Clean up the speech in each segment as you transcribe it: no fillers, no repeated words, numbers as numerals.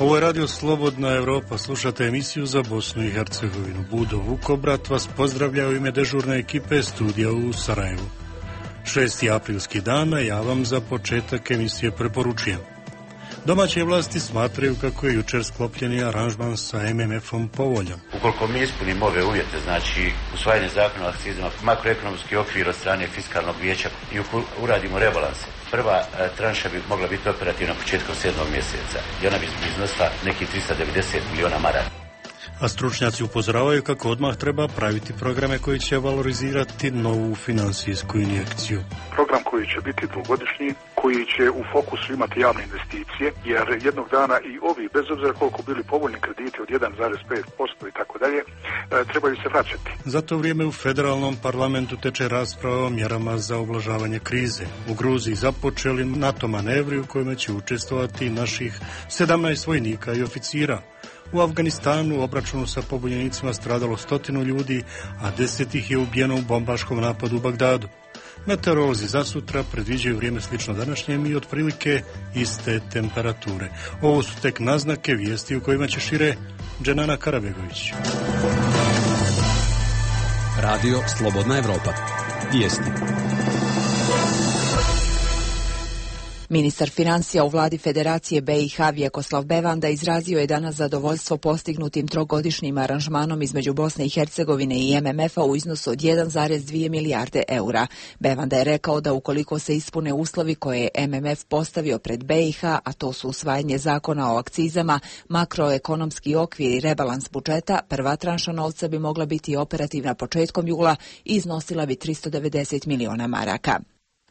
Ovo je Radio Slobodna Evropa, slušate emisiju za Bosnu i Hercegovinu. Budo Vukobrat vas pozdravlja u ime dežurne ekipe studija u Sarajevu. 6. aprilski dan, a ja vam za početak emisije preporučujem. Domaće vlasti smatraju kako je jučer sklopljeni aranžman sa MMF-om povoljan. Ukoliko mi ispunimo ove uvjete, znači usvajanje zakona o akcizama, makroekonomski okvir od strane fiskalnog vijeća i uradimo rebalanse, prva tranša bi mogla biti operativna početkom 7. mjeseca i ona bi iznosila nekih 390 miliona maraka. A stručnjaci upozoravaju kako odmah treba praviti programe koji će valorizirati novu finansijsku injekciju. Program koji će biti dvogodišnji, koji će u fokusu imati javne investicije, jer jednog dana i ovi, bez obzira koliko bili povoljni krediti od 1,5% i tako dalje, trebaju se vraćati. Za to vrijeme u federalnom parlamentu teče rasprava o mjerama za ublažavanje krize. U Gruziji započeli NATO manevri u kojima će učestvovati naših 17 vojnika i oficira. U Afganistanu u obračunu sa pobunjenicima stradalo 100 ljudi, a 10 ih je ubijeno u bombaškom napadu u Bagdadu. Meteorolozi za sutra predviđaju vrijeme slično današnjem i otprilike iste temperature. Ovo su tek naznake vijesti u kojima će šire Dženana Karabegović. Radio Slobodna Evropa. Vijesti. Ministar financija u vladi Federacije BiH Vjekoslav Bevanda izrazio je danas zadovoljstvo postignutim trogodišnjim aranžmanom između Bosne i Hercegovine i MMF-a u iznosu od 1,2 milijarde eura. Bevanda je rekao da ukoliko se ispune uslovi koje je MMF postavio pred BiH, a to su usvajanje zakona o akcizama, makroekonomski okvir i rebalans budžeta, prva tranša novca bi mogla biti operativna početkom jula i iznosila bi 390 miliona maraka.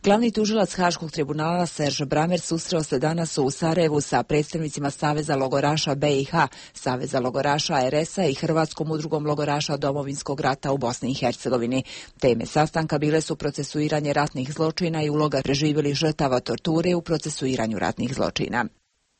Glavni tužilac Haškog tribunala Serge Bramer susreo se danas u Sarajevu sa predstavnicima Saveza logoraša BiH, Saveza logoraša RS-a i Hrvatskom udrugom logoraša Domovinskog rata u Bosni i Hercegovini. Teme sastanka bile su procesuiranje ratnih zločina i uloga preživjelih žrtava torture u procesuiranju ratnih zločina.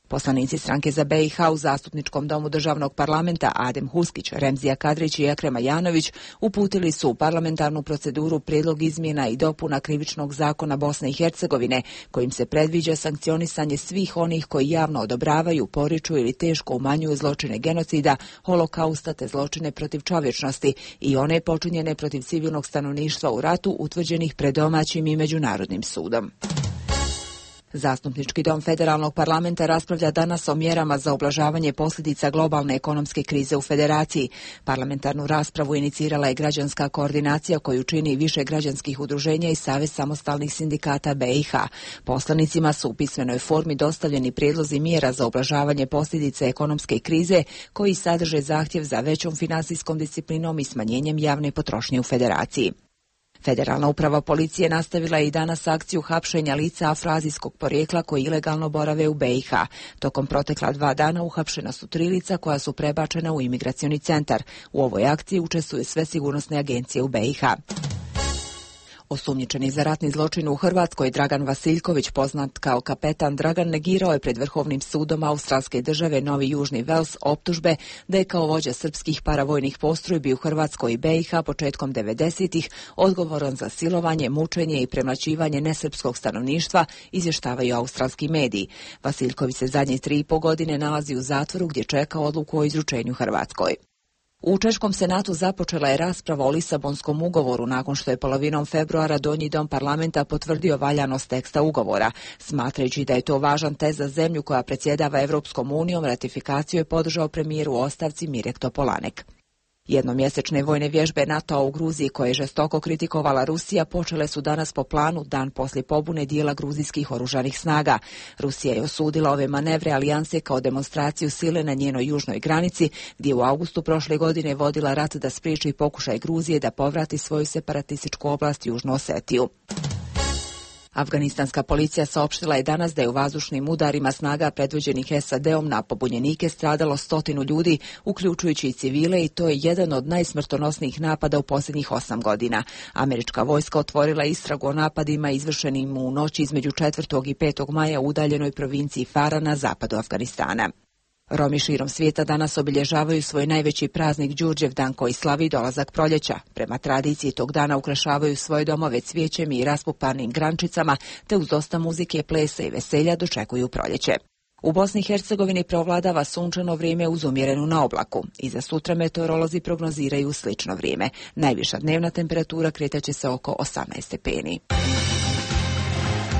Poslanici stranke za BiH u Zastupničkom domu državnog parlamenta Adem Huskić, Remzija Kadrić i Ekrem Ajanović uputili su u parlamentarnu proceduru prijedlog izmjena i dopuna krivičnog zakona Bosne i Hercegovine, kojim se predviđa sankcionisanje svih onih koji javno odobravaju, poriču ili teško umanjuju zločine genocida, holokausta te zločine protiv čovječnosti i one počinjene protiv civilnog stanovništva u ratu utvrđenih pred domaćim i međunarodnim sudom. Zastupnički dom federalnog parlamenta raspravlja danas o mjerama za ublažavanje posljedica globalne ekonomske krize u federaciji. Parlamentarnu raspravu inicirala je građanska koordinacija koju čini više građanskih udruženja i Savez samostalnih sindikata BiH. Poslanicima su u pismenoj formi dostavljeni prijedlozi mjera za ublažavanje posljedica ekonomske krize koji sadrže zahtjev za većom finansijskom disciplinom i smanjenjem javne potrošnje u federaciji. Federalna uprava policije nastavila je i danas akciju hapšenja lica afroazijskog porijekla koji ilegalno borave u BiH. Tokom protekla 2 dana uhapšena su 3 lica koja su prebačena u imigracioni centar. U ovoj akciji učestvuju sve sigurnosne agencije u BiH. Osumnjičeni za ratni zločin u Hrvatskoj Dragan Vasiljković, poznat kao kapetan Dragan, negirao je pred Vrhovnim sudom australske države Novi Južni Vels optužbe da je kao vođa srpskih paravojnih postrojbi u Hrvatskoj i BiH početkom 90-ih odgovoran za silovanje, mučenje i premlaćivanje nesrpskog stanovništva, izvještavaju australski mediji. Vasiljković se zadnje 3,5 godine nalazi u zatvoru gdje čeka odluku o izručenju Hrvatskoj. U Češkom senatu započela je rasprava o Lisabonskom ugovoru nakon što je polovinom februara Donji dom parlamenta potvrdio valjanost teksta ugovora. Smatrajući da je to važan test za zemlju koja predsjedava Evropskom unijom, ratifikaciju je podržao premijer u ostavci Mirek Topolanek. Jednomjesečne vojne vježbe NATO-a u Gruziji, koje je žestoko kritikovala Rusija, počele su danas po planu, dan poslije pobune dijela gruzijskih oružanih snaga. Rusija je osudila ove manevre alijanse kao demonstraciju sile na njenoj južnoj granici, gdje u augustu prošle godine vodila rat da spriječi pokušaj Gruzije da povrati svoju separatističku oblast Južnu Osetiju. Afganistanska policija saopštila je danas da je u vazdušnim udarima snaga predvođenih SAD-om na pobunjenike stradalo 100 ljudi, uključujući i civile, i to je jedan od najsmrtonosnijih napada u posljednjih 8 godina. Američka vojska otvorila istragu o napadima izvršenim u noći između 4. i 5. maja u udaljenoj provinciji Farah na zapadu Afganistana. Romi širom svijeta danas obilježavaju svoj najveći praznik Đurđevdan koji slavi dolazak proljeća. Prema tradiciji tog dana ukrašavaju svoje domove cvijećem i raspupanim grančicama, te uz dosta muzike, plesa i veselja dočekuju proljeće. U Bosni i Hercegovini preovladava sunčano vrijeme uz umjerenu na oblaku. I za sutra meteorolozi prognoziraju slično vrijeme. Najviša dnevna temperatura kretaće se oko 18 stepeni.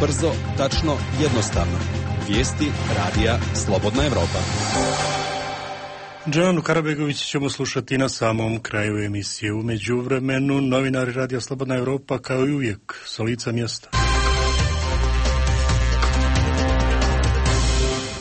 Brzo, tačno, jednostavno. Vijesti radija Slobodna Evropa. Džanu Karabegović ćemo slušati na samom kraju emisije. U međuvremenu novinari radija Slobodna Evropa kao i uvijek s lica mjesta.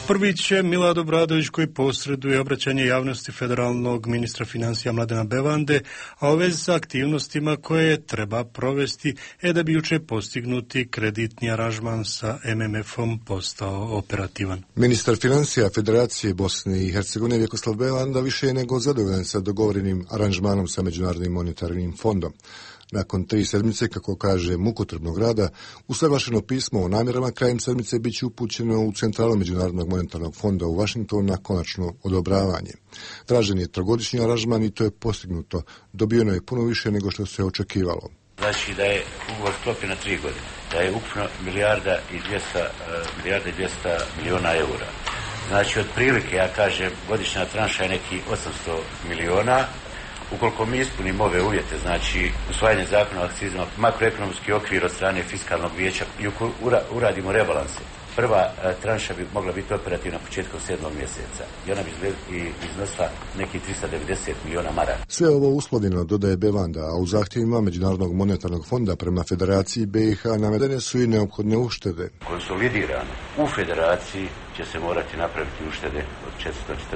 Prvi će Milad Obradović koji posreduje obraćanje javnosti federalnog ministra financija Mladena Bevande, a u vezi sa aktivnostima koje treba provesti da bi juče postignuti kreditni aranžman sa MMF-om postao operativan. Ministar financija Federacije Bosne i Hercegovine Vjekoslav Bevanda više je nego zadovoljan sa dogovorenim aranžmanom sa Međunarodnim monetarnim fondom. Nakon 3 sedmice, kako kaže, mukotrpnog rada, usaglašeno pismo o namjerama krajem sedmice bit će upućeno u centralu Međunarodnog monetarnog fonda u Washingtonu na konačno odobravanje. Tražen je 3-godišnji aranžman i to je postignuto. Dobijeno je puno više nego što se očekivalo. Znači da je ugovor sklopljen na 3 godine, da je ukupno milijarda i 200 milijuna eura. Znači otprilike, ja kažem, godišnja tranša je neki 800 milijuna. Ukoliko mi ispunimo ove uvjete, znači usvajanje zakona o akcizama, makroekonomski okvir od strane fiskalnog vijeća i uradimo rebalanse, prva tranša bi mogla biti operativna početkom 7. mjeseca i ona bi iznosila neki 390 milijuna maraka. Sve ovo uslovljeno, dodaje Bevanda, a u zahtjevima Međunarodnog monetarnog fonda prema Federaciji BiH navedene su i neophodne uštede. Konsolidirano u Federaciji će se morati napraviti uštede od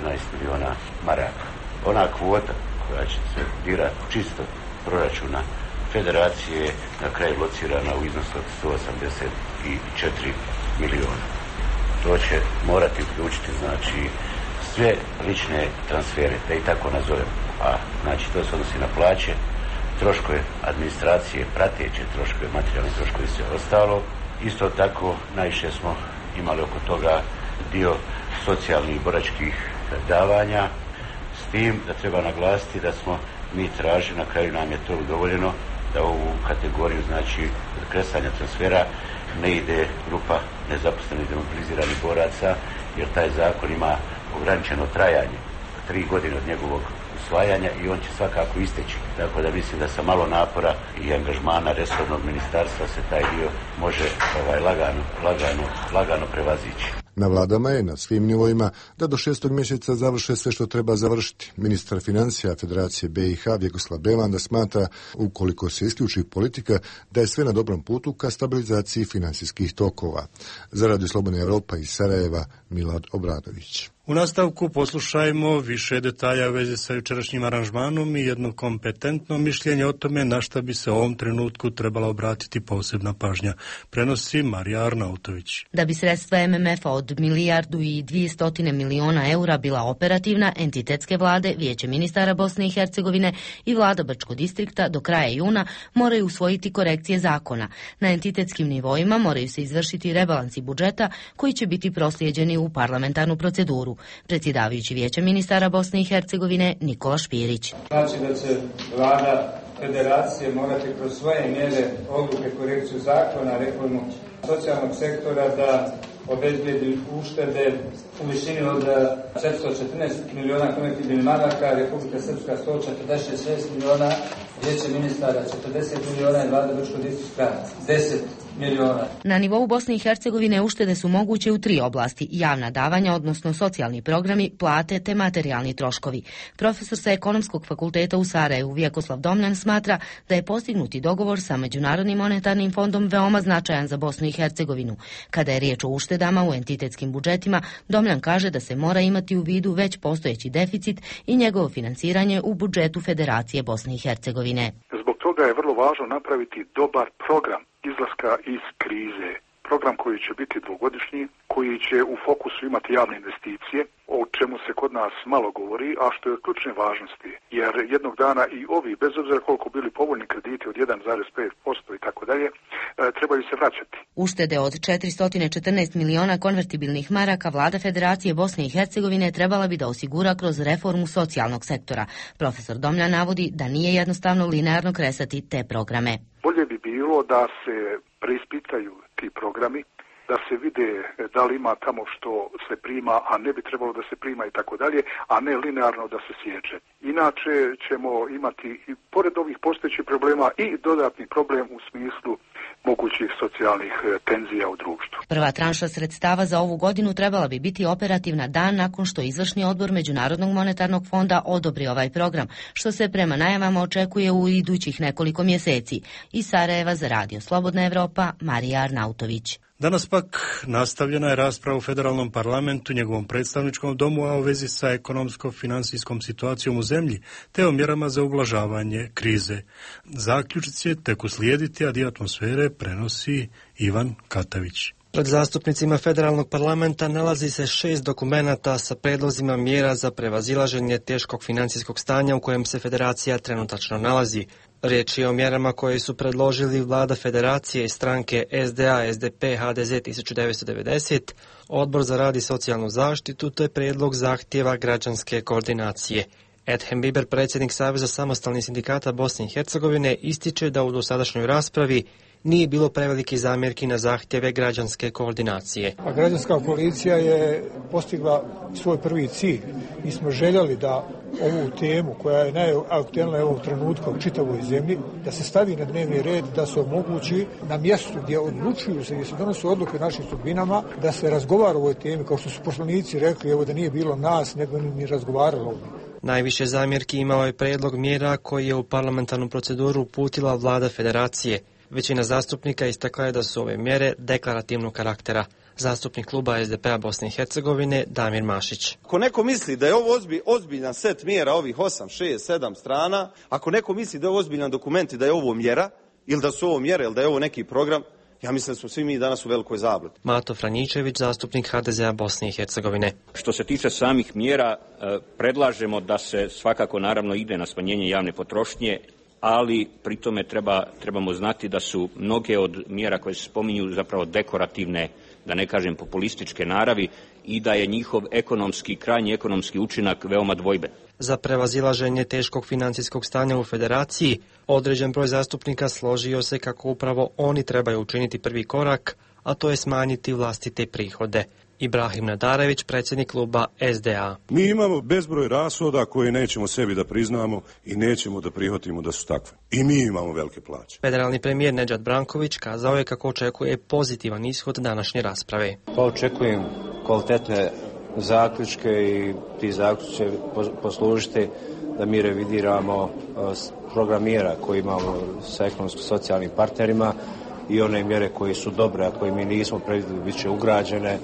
414 milijuna maraka. Ona kvota koja će se dirati čisto proračuna Federacije je na kraju locirana u iznosu od 184 milijuna. To će morati uključiti, znači, sve lične transfere, da i tako nazovem. A, znači, to se odnosi na plaće, troškove administracije, prateće troškove, materijalne troškove i sve ostalo. Isto tako, najviše smo imali oko toga dio socijalnih i boračkih davanja, s tim da treba naglasiti da smo mi tražili, na kraju nam je to udovoljeno, da ovu kategoriju, znači, kresanja transfera ne ide grupa nezaposlenih demobiliziranih boraca, jer taj zakon ima ograničeno trajanje, 3 godine od njegovog usvajanja i on će svakako isteći. Tako da mislim da sa malo napora i angažmana resornog ministarstva se taj dio može lagano prevazići. Na vladama je na svim nivoima da do 6. mjeseca završe sve što treba završiti. Ministar financija Federacije BiH Vjekoslav Bevanda smatra, ukoliko se isključi politika, da je sve na dobrom putu ka stabilizaciji financijskih tokova. Za Radio Slobodna Evropa iz Sarajeva, Milad Obradović. U nastavku poslušajmo više detalja u vezi sa jučerašnjim aranžmanom i jedno kompetentno mišljenje o tome na šta bi se u ovom trenutku trebala obratiti posebna pažnja. Prenosi Marija Arnautović. Da bi sredstva MMF-a od 1.200 miliona eura bila operativna, entitetske vlade, Vijeće ministara Bosne i Hercegovine i vlada Brčkog distrikta do kraja juna moraju usvojiti korekcije zakona. Na entitetskim nivoima moraju se izvršiti rebalansi budžeta koji će biti proslijeđeni u parlamentarnu proceduru. Predsjedavajući Vijeća ministara Bosne i Hercegovine Nikola Špirić. Znači da će vlada Federacije morati kroz svoje mjere, odluke, korekciju zakona, reformu socijalnog sektora da obezbijedi uštede u višini od 414 milijuna konvertibilnih maraka, Republika Srpska 146 milijuna, Vijeće ministara 40 milijuna i vlada Brčkog distrikta 10 milijuna. Na nivou Bosne i Hercegovine uštede su moguće u 3 oblasti: javna davanja, odnosno socijalni programi, plate te materijalni troškovi. Profesor sa Ekonomskog fakulteta u Sarajevu Vjekoslav Domljan smatra da je postignuti dogovor sa Međunarodnim monetarnim fondom veoma značajan za Bosnu i Hercegovinu. Kada je riječ o uštedama u entitetskim budžetima, Domljan kaže da se mora imati u vidu već postojeći deficit i njegovo financiranje u budžetu Federacije Bosne i Hercegovine. Zbog toga je vrlo važno napraviti dobar program izlaska iz krize. Program koji će biti 2-godišnji, koji će u fokusu imati javne investicije, o čemu se kod nas malo govori, a što je od ključne važnosti. Jer jednog dana i ovi, bez obzira koliko bili povoljni krediti od 1,5% i tako dalje, trebaju se vraćati. Uštede od 414 miliona konvertibilnih maraka vlada Federacije Bosne i Hercegovine trebala bi da osigura kroz reformu socijalnog sektora. Profesor Domljan navodi da nije jednostavno linearno kresati te programe. Bolje bi bilo da se preispitaju ti programi da se vide da li ima tamo što se prima, a ne bi trebalo da se prima i tako dalje, a ne linearno da se sječe. Inače ćemo imati i pored ovih postojećih problema i dodatni problem u smislu mogućih socijalnih tenzija u društvu. Prva tranša sredstava za ovu godinu trebala bi biti operativna dan nakon što izvršni odbor Međunarodnog monetarnog fonda odobri ovaj program, što se prema najavama očekuje u idućih nekoliko mjeseci. Iz Sarajeva za Radio Slobodna Evropa, Marija Arnautović. Danas pak nastavljena je rasprava u federalnom parlamentu, njegovom predstavničkom domu, a u vezi sa ekonomsko-financijskom situacijom u zemlji, te o mjerama za ublažavanje krize. Zaključici će tek uslijediti, a dio atmosfere prenosi Ivan Katavić. Pred zastupnicima federalnog parlamenta nalazi se 6 dokumenata sa predlozima mjera za prevazilaženje teškog financijskog stanja u kojem se federacija trenutačno nalazi. Riječ je o mjerama koje su predložili vlada federacije i stranke SDA, SDP, HDZ 1990, Odbor za rad i socijalnu zaštitu, te prijedlog zahtjeva građanske koordinacije. Edhem Biber, predsjednik Saveza samostalnih sindikata Bosne i Hercegovine, ističe da u dosadašnjoj raspravi nije bilo preveliki zamjerki na zahtjeve građanske koordinacije. A građanska koalicija je postigla svoj prvi cilj. Mi smo željeli da ovu temu koja je najaktuelnija u ovom trenutku u čitavoj zemlji, da se stavi na dnevni red, da se omogući na mjestu gdje odlučuju se, gdje se donose odluke o našim sudbinama, da se razgovara o ovoj temi, kao što su poslanici rekli, evo da nije bilo nas, nego ni razgovaralo ovdje. Najviše zamjerki imao je prijedlog mjera koji je u parlamentarnu proceduru uputila vlada federacije. Većina zastupnika istakla je da su ove mjere deklarativnog karaktera. Zastupnik kluba SDP-a Bosne i Hercegovine Damir Mašić. Ako neko misli da je ovo ozbiljan set mjera, ovih 8, 6, 7 strana, ako neko misli da je ovo ozbiljan dokument i da je ovo mjera, ili da su ovo mjere, ili da je ovo neki program, ja mislim da smo svi mi danas u velikoj zabludi. Mato Franjičević, zastupnik HDZ-a Bosne i Hercegovine. Što se tiče samih mjera, predlažemo da se svakako naravno ide na smanjenje javne potrošnje, ali pri tome trebamo znati da su mnoge od mjera koje se spominju zapravo dekorativne, da ne kažem populističke naravi, i da je njihov krajnji ekonomski učinak veoma dvojben. Za prevazilaženje teškog financijskog stanja u federaciji, određen broj zastupnika složio se kako upravo oni trebaju učiniti prvi korak, a to je smanjiti vlastite prihode. Ibrahim Nadarević, predsjednik kluba SDA. Mi imamo bezbroj rashoda koje nećemo sebi da priznamo i nećemo da prihvatimo da su takve. I mi imamo velike plaće. Federalni premijer Nedžad Branković kazao je kako očekuje pozitivan ishod današnje rasprave. Pa očekujem kvalitetne zaključke i ti zaključci će poslužiti da mi revidiramo program mjera koji imamo sa ekonomsko-socijalnim partnerima i one mjere koje su dobre, a koje mi nismo predvidjeli, bit će ugrađene,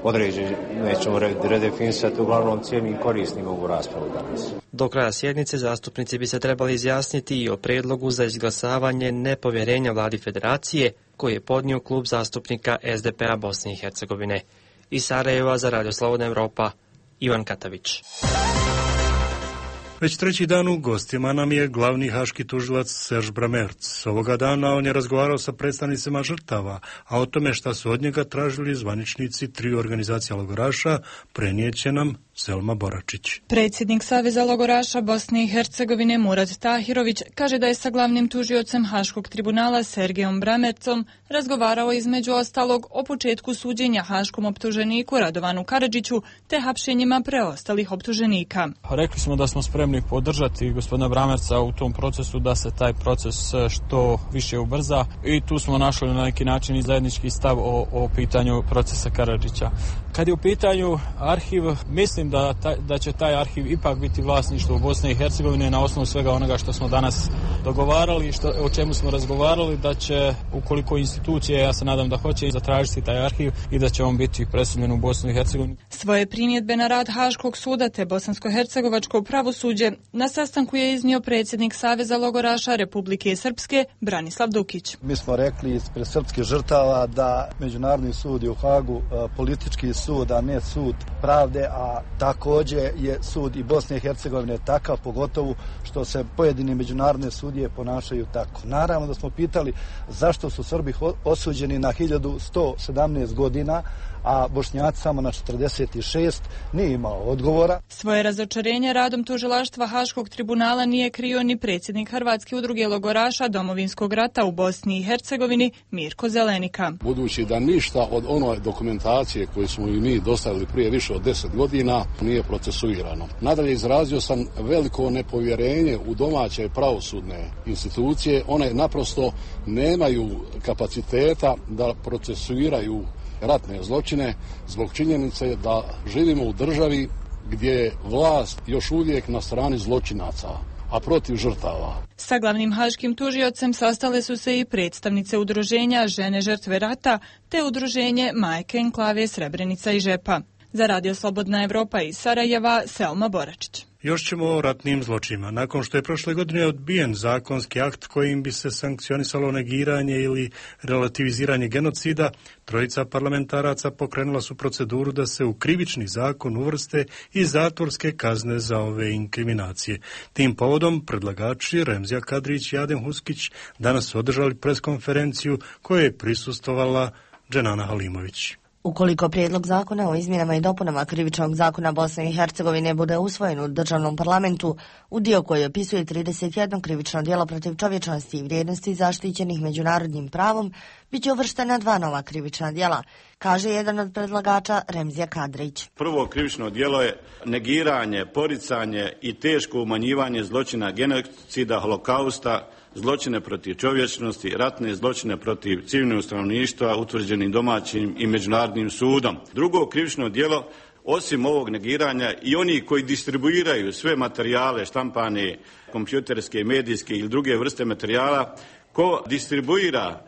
određene, nećemo redefinisati, uglavnom cijenim i korisnim ovu raspravu danas. Do kraja sjednice zastupnici bi se trebali izjasniti i o prijedlogu za izglasavanje nepovjerenja vladi federacije koji je podnio klub zastupnika SDP-a Bosne i Hercegovine. Iz Sarajeva za Radio Slobodna Evropa, Ivan Katavić. Već treći dan u gostima nam je glavni haški tužilac Serge Bramertz. Ovoga dana on je razgovarao sa predstavnicima žrtava, a o tome šta su od njega tražili zvaničnici triju organizacija logoraša prenijeće nam Selma Boračić. Predsjednik Saveza logoraša Bosne i Hercegovine Murat Tahirović kaže da je sa glavnim tužiocem Haškog tribunala Sergejom Bramertzom razgovarao između ostalog o početku suđenja haškom optuženiku Radovanu Karadžiću te hapšenjima preostalih optuženika. Rekli smo da smo spremni podržati gospodina Bramertza u tom procesu, da se taj proces što više ubrza i tu smo našli na neki način i zajednički stav o pitanju procesa Karadžića. Kad je u pitanju arhiv, mislim da će taj arhiv ipak biti vlasništvo Bosne i Hercegovine na osnovu svega onoga što smo danas dogovarali i o čemu smo razgovarali, da će, ukoliko institucije, ja se nadam da hoće, zatražiti taj arhiv i da će on biti preseljen u Bosnu i Hercegovinu. Svoje primjedbe na rad Haškog suda te bosansko-hercegovačko pravosuđe na sastanku je iznio predsjednik Saveza logoraša Republike Srpske Branislav Dukić. Mi smo rekli ispred srpskih žrtava da Međunarodni sud je u Hagu politički sud, a ne sud pravde, a također je sud i Bosne i Hercegovine takav, pogotovo što se pojedini međunarodne sudije ponašaju tako. Naravno da smo pitali zašto su Srbi osuđeni na 1117 godina, a Bošnjaci samo na 46, nije imao odgovora. Svoje razočarenje radom tužilaštva Haškog tribunala nije krio ni predsjednik Hrvatske udruge logoraša Domovinskog rata u Bosni i Hercegovini Mirko Zelenika. Budući da ništa od one dokumentacije koju smo i mi dostavili prije više od 10 godina nije procesuirano. Nadalje izrazio sam veliko nepovjerenje u domaće pravosudne institucije. One naprosto nemaju kapaciteta da procesuiraju ratne zločine zbog činjenice da živimo u državi gdje je vlast još uvijek na strani zločinaca, a protiv žrtava. Sa glavnim haškim tužiocem sastale su se i predstavnice udruženja Žene žrtve rata te udruženje Majke enklave Srebrenica i Žepa. Za Radio Slobodna Evropa iz Sarajeva, Selma Boračić. Još ćemo o ratnim zločinima. Nakon što je prošle godine odbijen zakonski akt kojim bi se sankcionisalo negiranje ili relativiziranje genocida, trojica parlamentaraca pokrenula su proceduru da se u krivični zakon uvrste i zatvorske kazne za ove inkriminacije. Tim povodom predlagači Remzija Kadrić i Adem Huskić danas su održali preskonferenciju kojoj je prisustvovala Dženana Halimović. Ukoliko prijedlog zakona o izmjenama i dopunama krivičnog zakona Bosne i Hercegovine bude usvojen u državnom parlamentu, u dio koji opisuje 31 krivično djelo protiv čovječnosti i vrijednosti zaštićenih međunarodnim pravom, bit će uvrštena 2 nova krivična djela, kaže jedan od predlagača Remzija Kadrić. Prvo krivično djelo je negiranje, poricanje i teško umanjivanje zločina genocida, holokausta, zločine protiv čovječnosti, ratne zločine protiv civilnog stanovništva utvrđenim domaćim i međunarodnim sudom. Drugo krivično djelo, osim ovog negiranja, i oni koji distribuiraju sve materijale, štampane, kompjuterske, medijske ili druge vrste materijala, ko distribuira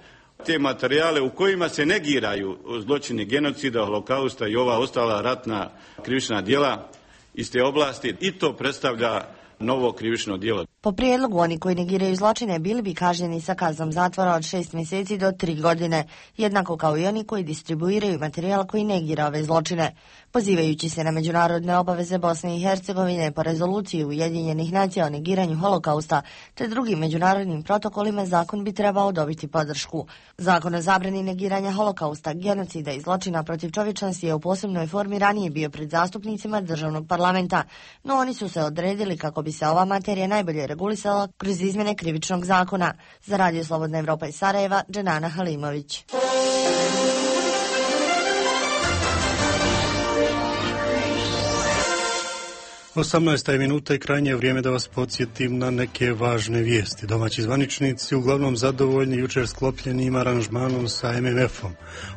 te materijale u kojima se negiraju zločini genocida, holokausta i ova ostala ratna krivična djela iz te oblasti, i to predstavlja novo krivično djelo. Po prijedlogu, oni koji negiraju zločine bili bi kažnjeni sa kaznom zatvora od 6 mjeseci do 3 godine, jednako kao i oni koji distribuiraju materijal koji negira ove zločine. Pozivajući se na međunarodne obaveze Bosne i Hercegovine po rezoluciji Ujedinjenih nacija o negiranju holokausta te drugim međunarodnim protokolima, zakon bi trebao dobiti podršku. Zakon o zabrani negiranja holokausta, genocida i zločina protiv čovječnosti je u posebnoj formi ranije bio pred zastupnicima državnog parlamenta, no oni su se odredili kako bi se ova materija najbolje regulisala kroz izmjene krivičnog zakona. Za Radio Slobodna Evropa iz Sarajeva, Dženana Halimović. Osamnaesta je minuta i krajnje je vrijeme da vas podsjetim na neke važne vijesti. Domaći zvaničnici uglavnom zadovoljni jučer sklopljenim aranžmanom sa MMF-om.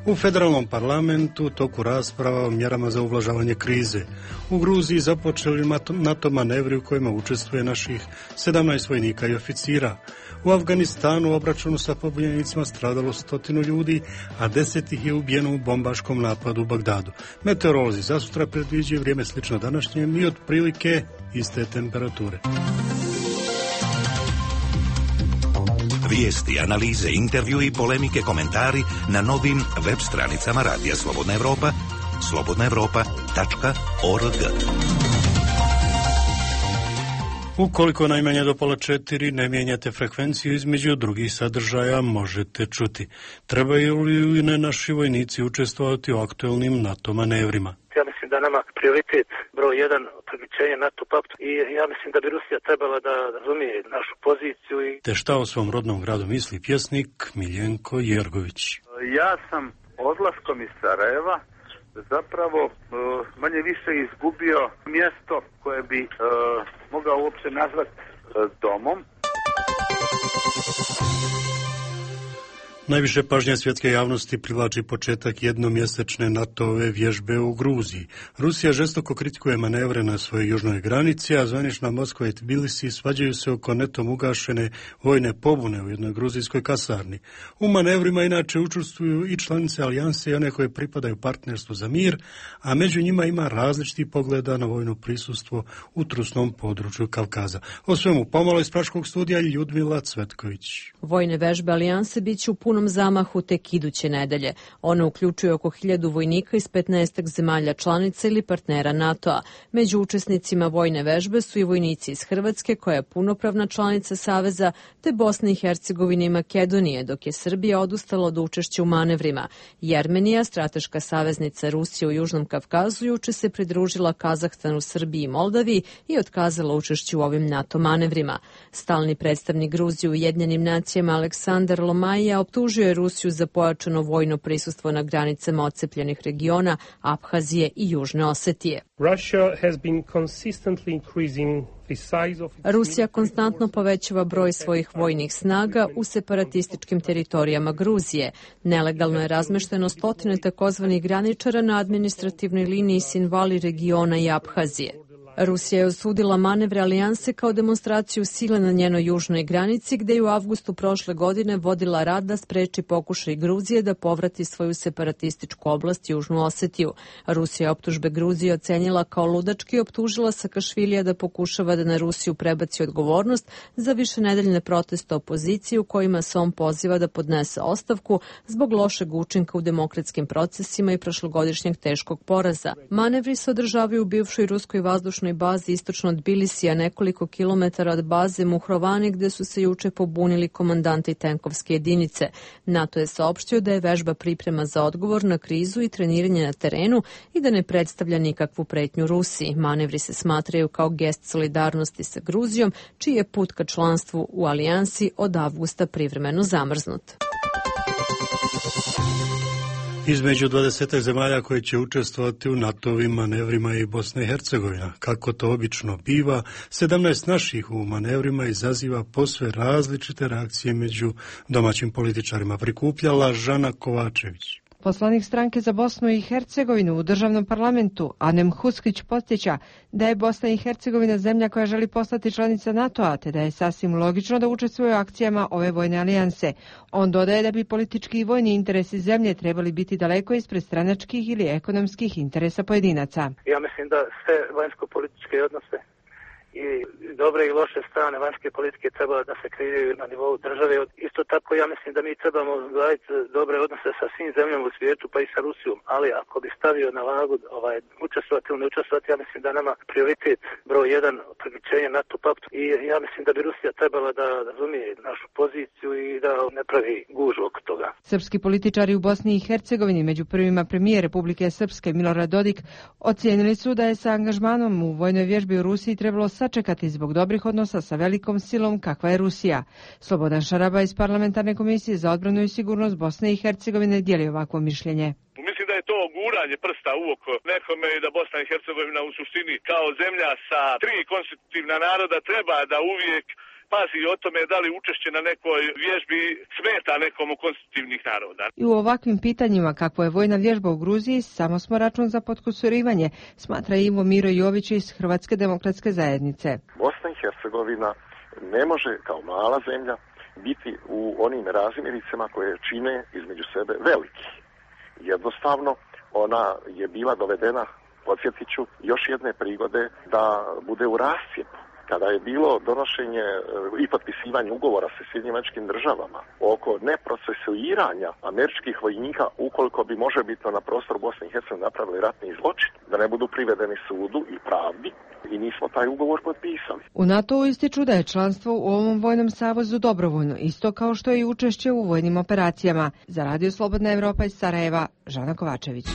U federalnom parlamentu toku rasprava o mjerama za ublažavanje krize. U Gruziji započeli NATO manevri u kojima učestvuje naših 17 vojnika i oficira. U Afganistanu u obračunu sa pobunjenicima stradalo 100 ljudi, a 10 ih je ubijeno u bombaškom napadu u Bagdadu. Meteorolozi za sutra predviđaju vrijeme slično današnjem i otprilike iste temperature. Vijesti, analize, intervju i polemike, komentari na novim web stranicama Radija Slobodna Evropa, slobodnaevropa.org. Ukoliko najmanje do 3:30 ne mijenjate frekvenciju između drugih sadržaja, možete čuti. Trebaju li ne naši vojnici učestvovati u aktualnim NATO manevrima? Ja mislim da nama prioritet broj 1 priključenje NATO paktu i ja mislim da bi Rusija trebala da razumije našu poziciju. Te šta o svom rodnom gradu misli pjesnik Miljenko Jergović? Ja sam odlaskom iz Sarajeva zapravo manje više izgubio mjesto koje bi mogao uopće nazvati domom. Najviše pažnje svjetske javnosti privlači početak jednomjesečne NATO-ove vježbe u Gruziji. Rusija žestoko kritikuje manevre na svojoj južnoj granici, a zvanična Moskva i Tbilisi svađaju se oko netom ugašene vojne pobune u jednoj gruzijskoj kasarni. U manevrima inače učestvuju i članice alijanse i one koje pripadaju partnerstvu za mir, a među njima ima različitih pogleda na vojno prisustvo u trusnom području Kavkaza. O svemu pomalo iz Praškog studija Ljudmila Cvetković. Vojne vežbe alijanse bit će u punom punom zamahu tek iduće nedelje. Ona uključuje oko 1000 vojnika iz 15 zemalja članica ili partnera NATO-a. Među učesnicima vojne vežbe su i vojnici iz Hrvatske, koja je punopravna članica Saveza, te Bosne i Hercegovine i Makedonije, dok je Srbija odustala od učešća u manevrima. Jermenija, strateška saveznica Rusije u Južnom Kavkazu, juče se pridružila Kazahstanu, Srbiji i Moldaviji i otkazala učešće u ovim NATO manevrima. Stalni predstavnik Gruzije u Ujedinjenim nacijama Aleksandar Lomajija optužio je Rusiju za pojačano vojno prisustvo na granicama odcepljenih regiona Abhazije i Južne Osetije. Rusija konstantno povećava broj svojih vojnih snaga u separatističkim teritorijama Gruzije. Nelegalno je razmešteno stotine takozvanih graničara na administrativnoj liniji Sinvali regiona i Abhazije. Rusija je osudila manevre alijanse kao demonstraciju sile na njenoj južnoj granici, gde je u avgustu prošle godine vodila rat da spreči pokušaj Gruzije da povrati svoju separatističku oblast Južnu Osetiju. Rusija je optužbe Gruzije ocenila kao ludački i optužila Sakašvilija da pokušava da na Rusiju prebaci odgovornost za višenedeljne proteste opozicije u kojima se on poziva da podnese ostavku zbog lošeg učinka u demokratskim procesima i prošlogodišnjeg teškog poraza. Manevri se održavaju u bivšoj ruskoj vazdušnoj bazi istočno od Bilisija, nekoliko kilometara od baze Muhrovani, gde su se juče pobunili komandanti tenkovske jedinice. NATO je saopštio da je vežba priprema za odgovor na krizu i treniranje na terenu i da ne predstavlja nikakvu pretnju Rusiji. Manevri se smatraju kao gest solidarnosti sa Gruzijom, čiji je put ka članstvu u alijansi od avgusta privremeno zamrznut. Između 20 zemalja koje će učestvovati u NATO-ovim manevrima i Bosna i Hercegovina. Kako to obično biva, 17 naših u manevrima izaziva posve različite reakcije među domaćim političarima. Prikupljala Žana Kovačević. Poslanik stranke za Bosnu i Hercegovinu u državnom parlamentu, Anem Huskić, podsjeća da je Bosna i Hercegovina zemlja koja želi postati članica NATO-a, te da je sasvim logično da učestvuje u akcijama ove vojne alijanse. On dodaje da bi politički i vojni interesi zemlje trebali biti daleko ispred stranačkih ili ekonomskih interesa pojedinaca. Ja mislim da sve vanjsko-političke odnose i dobre i loše strane vanjske politike treba da se kreiraju na nivou države. Isto tako ja mislim da mi trebamo gledati dobre odnose sa svim zemljama u svijetu, pa i sa Rusijom, ali ako bi stavio na vagu učestvovati ili ne učestvovati, ja mislim da nama prioritet broj 1 priključenje NATO paktu i ja mislim da bi Rusija trebala da razumije našu poziciju i da ne pravi gužu oko toga. Srpski političari u Bosni i Hercegovini, među prvima premijer Republike Srpske Milorad Dodik, ocijenili su da je sa angažmanom u vojnoj vježbi u Rusiji trebalo sačekati zbog dobrih odnosa sa velikom silom kakva je Rusija. Slobodan Šaraba iz Parlamentarne komisije za odbranu i sigurnost Bosne i Hercegovine dijeli ovakvo mišljenje. Mislim da je to guranje prsta u oko nekome i da Bosna i Hercegovina u suštini kao zemlja sa 3 konstitutivna naroda treba da uvijek pazi o tome da li učešće na nekoj vježbi smeta nekom od konstitutivnih naroda. I u ovakvim pitanjima kakvo je vojna vježba u Gruziji, samo smo račun za potkusurivanje, smatra Ivo Miro Jović iz Hrvatske demokratske zajednice. Bosna i Hercegovina ne može kao mala zemlja biti u onim razmiricama koje čine između sebe veliki. Jednostavno, ona je bila dovedena, podsjetit ću, još jedne prigode da bude u rascijepu. Kada je bilo donošenje i potpisivanje ugovora sa Sjedinjenim Državama oko neprocesuiranja američkih vojnika ukoliko bi možebitno na prostoru Bosne i Hercegovine napravili ratni zločin, da ne budu privedeni sudu i pravdi, i nismo taj ugovor potpisali. U NATO-u ističu da je članstvo u ovom vojnom savezu dobrovoljno, isto kao što je i učešće u vojnim operacijama. Za Radio Slobodna Evropa iz Sarajeva, Žana Kovačević.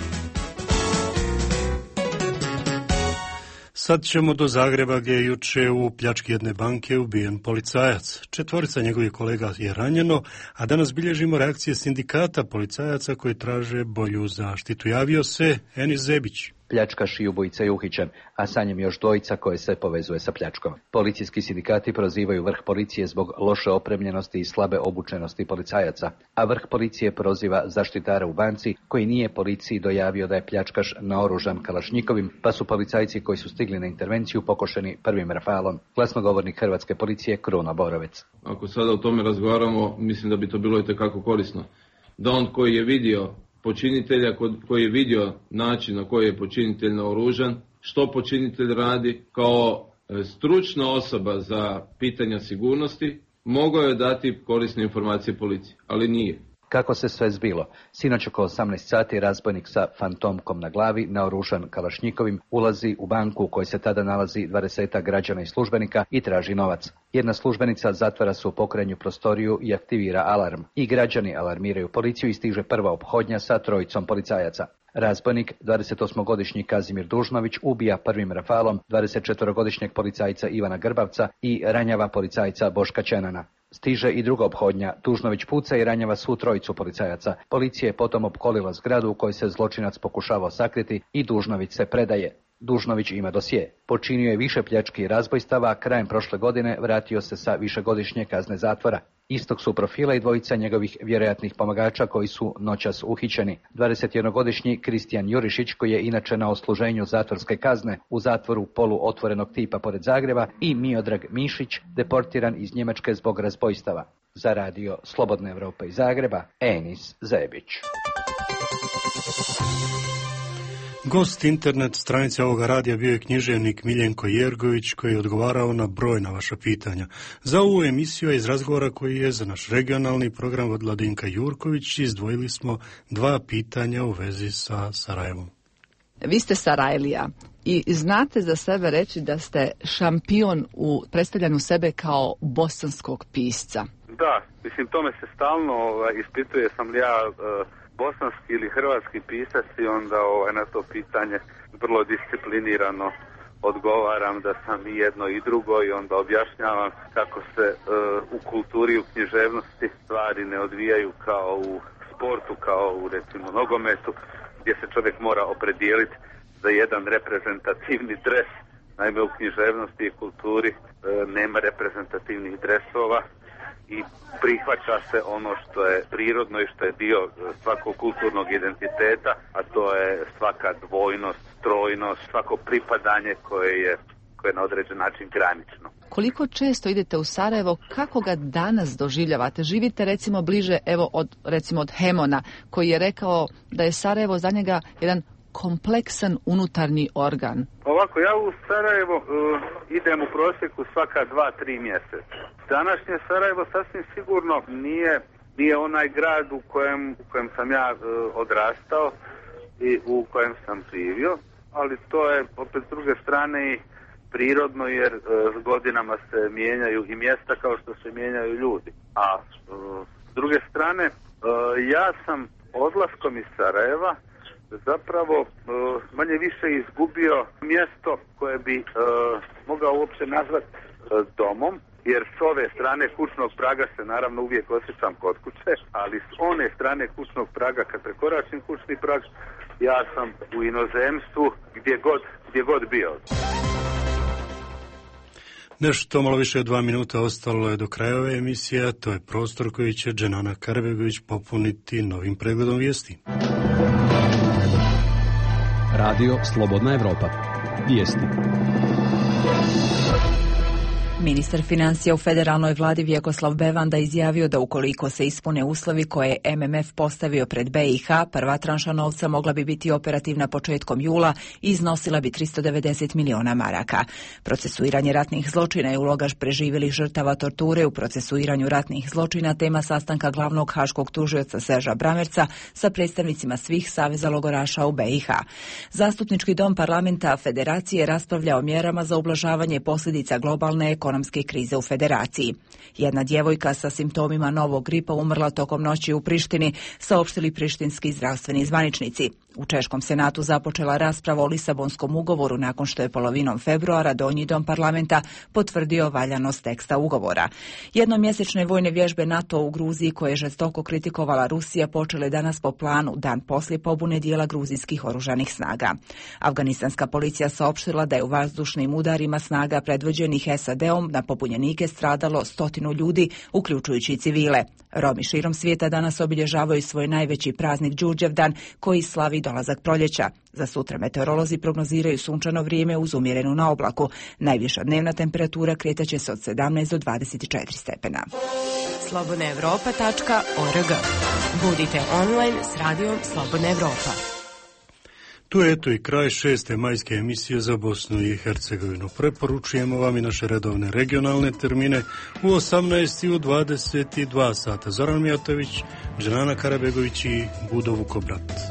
Sad ćemo do Zagreba gdje je juče u pljački jedne banke ubijen policajac. 4 njegovih kolega je ranjeno, a danas bilježimo reakcije sindikata policajaca koji traže bolju zaštitu. Javio se Enis Zebić. Pljačkaš i ubojica je uhićen, a sa njim još dvojica koje se povezuje sa pljačkom. Policijski sindikati prozivaju vrh policije zbog loše opremljenosti i slabe obučenosti policajaca, a vrh policije proziva zaštitara u banci koji nije policiji dojavio da je pljačkaš naoružan kalašnjikovim, pa su policajci koji su stigli na intervenciju pokošeni prvim rafalom. Glasnogovornik Hrvatske policije Kruno Borovec. Ako sada o tome razgovaramo, mislim da bi to bilo itekako korisno. Da on koji je vidio počinitelja, koji je vidio način na koji je počinitelj naoružan, što počinitelj radi, kao stručna osoba za pitanja sigurnosti, mogao je dati korisne informacije policiji, ali nije. Kako se sve zbilo? Sinoć oko 18 sati razbojnik sa fantomkom na glavi, naoružan kalašnjikovim, ulazi u banku u kojoj se tada nalazi 20 građana i službenika i traži novac. Jedna službenica zatvara se u pokrenju prostoriju i aktivira alarm. I građani alarmiraju policiju i stiže prva ophodnja sa 3 policajaca. Razbojnik, 28-godišnji Kazimir Dužnović, ubija prvim rafalom 24-godišnjeg policajca Ivana Grbavca i ranjava policajca Boška Čenana. Stiže i druga ophodnja. Dužnović puca i ranjava svu 3 policajaca. Policija je potom opkolila zgradu u kojoj se zločinac pokušavao sakriti i Dužnović se predaje. Dužnović ima dosje. Počinio je više pljački i razbojstava, a krajem prošle godine vratio se sa višegodišnje kazne zatvora. Istog su profila i 2 njegovih vjerojatnih pomagača koji su noćas uhićeni. 21-godišnji Kristijan Jurišić, koji je inače na odsluženju zatvorske kazne u zatvoru poluotvorenog tipa pored Zagreba, i Miodrag Mišić, deportiran iz Njemačke zbog razbojstava. Za radio Slobodna Evropa iz Zagreba, Enis Zebić. Gost internet stranice ovoga radija bio je književnik Miljenko Jergović, koji je odgovarao na brojna vaša pitanja. Za ovu emisiju iz razgovora koji je za naš regionalni program od Vladinka Jurković izdvojili smo 2 pitanja u vezi sa Sarajevom. Vi ste Sarajlija i znate za sebe reći da ste šampion u predstavljanju sebe kao bosanskog pisca. Da, mislim, tome se stalno ispituje, sam li ja bosanski ili hrvatski pisac, i onda na to pitanje vrlo disciplinirano odgovaram da sam i jedno i drugo, i onda objašnjavam kako se u kulturi, u književnosti stvari ne odvijaju kao u sportu, kao u recimo nogometu, gdje se čovjek mora opredijeliti za jedan reprezentativni dres. Naime, u književnosti i kulturi nema reprezentativnih dresova i prihvaća se ono što je prirodno i što je dio svakog kulturnog identiteta, a to je svaka dvojnost, trojnost, svako pripadanje koje je na određen način granično. Koliko često idete u Sarajevo, kako ga danas doživljavate? Živite recimo bliže od Hemona, koji je rekao da je Sarajevo za njega jedan kompleksan unutarnji organ. Ovako, ja u Sarajevo idem u prosjeku svaka 2-3 mjeseca. Današnje Sarajevo sasvim sigurno nije onaj grad u kojem sam ja odrastao i u kojem sam živio, ali to je opet s druge strane i prirodno, jer s godinama se mijenjaju i mjesta kao što se mijenjaju ljudi. A s druge strane, ja sam odlaskom iz Sarajeva zapravo manje više izgubio mjesto koje bi mogao uopće nazvati domom, jer s ove strane kućnog praga se naravno uvijek osjećam kod kuće, ali s one strane kućnog praga, kad prekoračim kućni prag, ja sam u inozemstvu gdje god bio. Nešto malo više od 2 minuta ostalo je do kraja ove emisije, a to je prostor koji će Dženana Karbegović popuniti novim pregledom vijesti. Radio Slobodna Evropa. Vijesti. Ministar financija u federalnoj vladi Vjekoslav Bevanda izjavio da ukoliko se ispune uslovi koje je MMF postavio pred BiH, prva tranša novca mogla bi biti operativna početkom jula i iznosila bi 390 miliona maraka. Procesuiranje ratnih zločina je uloga preživjelih žrtava torture u procesuiranju ratnih zločina, tema sastanka glavnog haškog tužioca Serža Bramerca sa predstavnicima svih saveza logoraša u BiH. Zastupnički dom parlamenta Federacije raspravlja o mjerama za ublažavanje posljedica globalne ekonomske krize u Federaciji. Jedna djevojka sa simptomima novog gripa umrla tokom noći u Prištini, saopštili prištinski zdravstveni zvaničnici. U Češkom senatu započela rasprava o Lisabonskom ugovoru nakon što je polovinom februara Donji dom parlamenta potvrdio valjanost teksta ugovora. Jednomjesečne vojne vježbe NATO u Gruziji, koje je žestoko kritikovala Rusija, počele danas po planu, dan poslije pobune dijela gruzijskih oružanih snaga. Afganistanska policija saopštila da je u vazdušnim udarima snaga predvođenih SAD-om na pobunjenike stradalo 100 ljudi, uključujući i civile. Romi širom svijeta danas obilježavaju svoj najveći praznik Đurđevdan, koji slavi dolazak proljeća. Za sutra meteorolozi prognoziraju sunčano vrijeme uz umjerenu na oblaku. Najviša dnevna temperatura kretaće se od 17 do 24 stepena. slobodnaevropa.org. Budite online s radijom Slobodna Evropa. Tu je eto i kraj 6. majske emisije za Bosnu i Hercegovinu. Preporučujemo vam i naše redovne regionalne termine u 18 i u 22 sata. Zoran Mijatović, Dženana Karabegović i Budo Vukobrat.